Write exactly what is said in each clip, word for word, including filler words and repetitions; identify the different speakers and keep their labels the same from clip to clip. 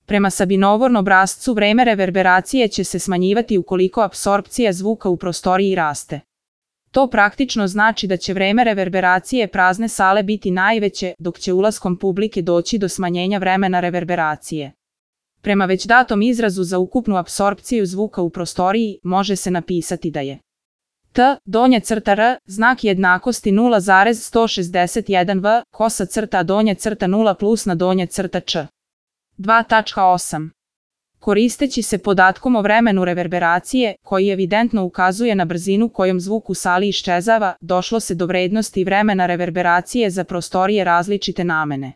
Speaker 1: Prema Sabinovom obrascu vreme reverberacije će se smanjivati ukoliko apsorpcija zvuka u prostoriji raste. To praktično znači da će vreme reverberacije prazne sale biti najveće, dok će ulaskom publike doći do smanjenja vremena reverberacije. Prema već datom izrazu za ukupnu apsorpciju zvuka u prostoriji može se napisati da je T, donja crta R, znak jednakosti nula zarez sto šezdeset jedan V, kosa crta donja crta nula plus na donja crta Č. dva tačka osam. Koristeći se podatkom o vremenu reverberacije, koji evidentno ukazuje na brzinu kojom zvuk u sali iščezava, došlo se do vrednosti vremena reverberacije za prostorije različite namene.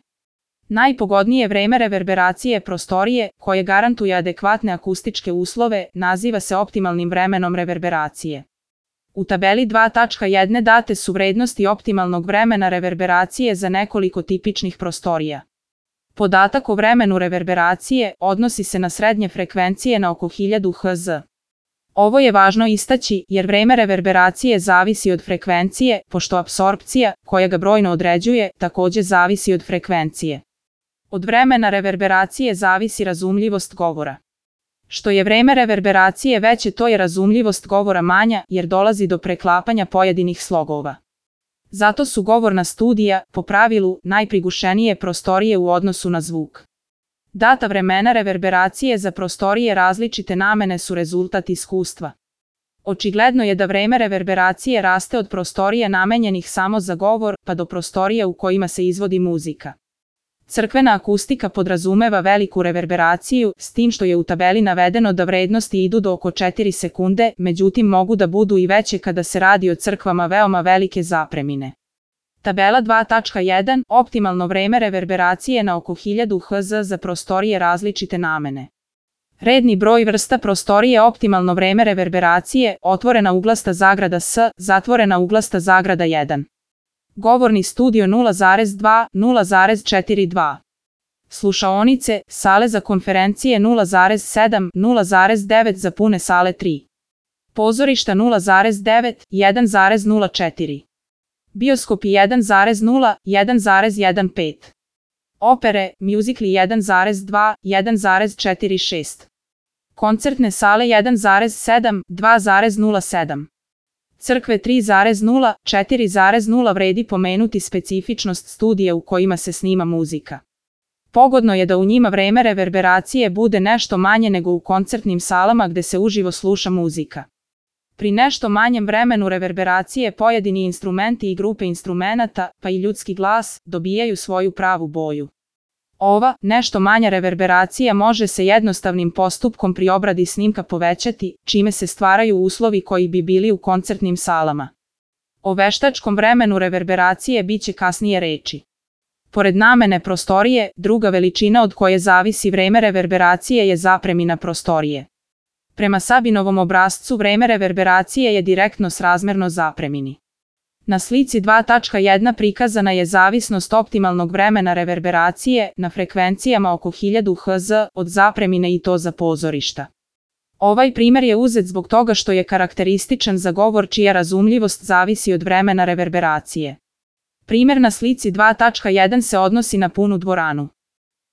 Speaker 1: Najpogodnije vreme reverberacije prostorije, koje garantuje adekvatne akustičke uslove, naziva se optimalnim vremenom reverberacije. U tabeli dva tačka jedan date su vrednosti optimalnog vremena reverberacije za nekoliko tipičnih prostorija. Podatak o vremenu reverberacije odnosi se na srednje frekvencije na oko hiljadu hertz. Ovo je važno istaći jer vreme reverberacije zavisi od frekvencije, pošto apsorpcija, koja ga brojno određuje, također zavisi od frekvencije. Od vremena reverberacije zavisi razumljivost govora. Što je vreme reverberacije veće, to je razumljivost govora manja, jer dolazi do preklapanja pojedinih slogova. Zato su govorna studija, po pravilu, najprigušenije prostorije u odnosu na zvuk. Data vremena reverberacije za prostorije različite namene su rezultat iskustva. Očigledno je da vreme reverberacije raste od prostorija namenjenih samo za govor, pa do prostorija u kojima se izvodi muzika. Crkvena akustika podrazumeva veliku reverberaciju, s tim što je u tabeli navedeno da vrednosti idu do oko četiri sekunde, međutim mogu da budu i veće kada se radi o crkvama veoma velike zapremine. Tabela dva tačka jedan. Optimalno vreme reverberacije na oko hiljadu hertz za prostorije različite namene. Redni broj vrsta prostorije optimalno vreme reverberacije, otvorena uglasta zagrada S, zatvorena uglasta zagrada jedan. Govorni studio nula zarez dva, nula zarez četrdeset dva. Slušaonice, sale za konferencije nula zarez sedam, nula zarez devet za pune sale tri. Pozorišta nula zarez devet, jedan zarez nula četiri. Bioskopi jedan zarez nula, jedan zarez pet. Opere, mjuzikli jedan zarez dva, jedan zarez četrdeset šest. Koncertne sale jedan zarez sedam, dva zarez nula sedam. Crkve tri zarez nula, četiri zarez nula vredi pomenuti specifičnost studija u kojima se snima muzika. Pogodno je da u njima vreme reverberacije bude nešto manje nego u koncertnim salama gde se uživo sluša muzika. Pri nešto manjem vremenu reverberacije pojedini instrumenti i grupe instrumenata, pa i ljudski glas, dobijaju svoju pravu boju. Ova, nešto manja reverberacija može se jednostavnim postupkom pri obradi snimka povećati, čime se stvaraju uslovi koji bi bili u koncertnim salama. O veštačkom vremenu reverberacije biće kasnije reči. Pored namene prostorije, druga veličina od koje zavisi vreme reverberacije je zapremina prostorije. Prema Sabinovom obrascu vreme reverberacije je direktno srazmerno zapremini. Na slici dva tačka jedan prikazana je zavisnost optimalnog vremena reverberacije na frekvencijama oko hiljadu hertz od zapremine i to za pozorišta. Ovaj primjer je uzet zbog toga što je karakterističan za govor čija razumljivost zavisi od vremena reverberacije. Primjer na slici dva tačka jedan se odnosi na punu dvoranu.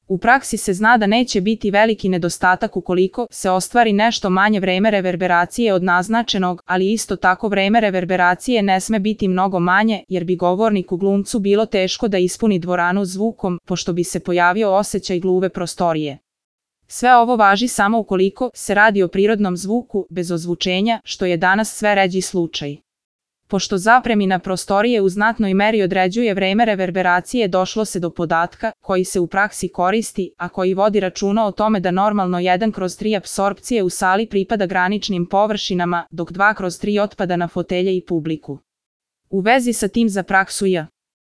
Speaker 1: U praksi se zna da neće biti veliki nedostatak ukoliko se ostvari nešto manje vreme reverberacije od naznačenog, ali isto tako vreme reverberacije ne sme biti mnogo manje, jer bi govorniku glumcu bilo teško da ispuni dvoranu zvukom, pošto bi se pojavio osjećaj gluve prostorije. Sve ovo važi samo ukoliko se radi o prirodnom zvuku, bez ozvučenja, što je danas sve ređi slučaj. Pošto zapremina prostorije u znatnoj meri određuje vreme reverberacije, došlo se do podatka, koji se u praksi koristi, a koji vodi računa o tome da normalno jedan kroz tri apsorpcije u sali pripada graničnim površinama, dok dva kroz tri otpada na fotelje i publiku. U vezi sa tim za praksu J.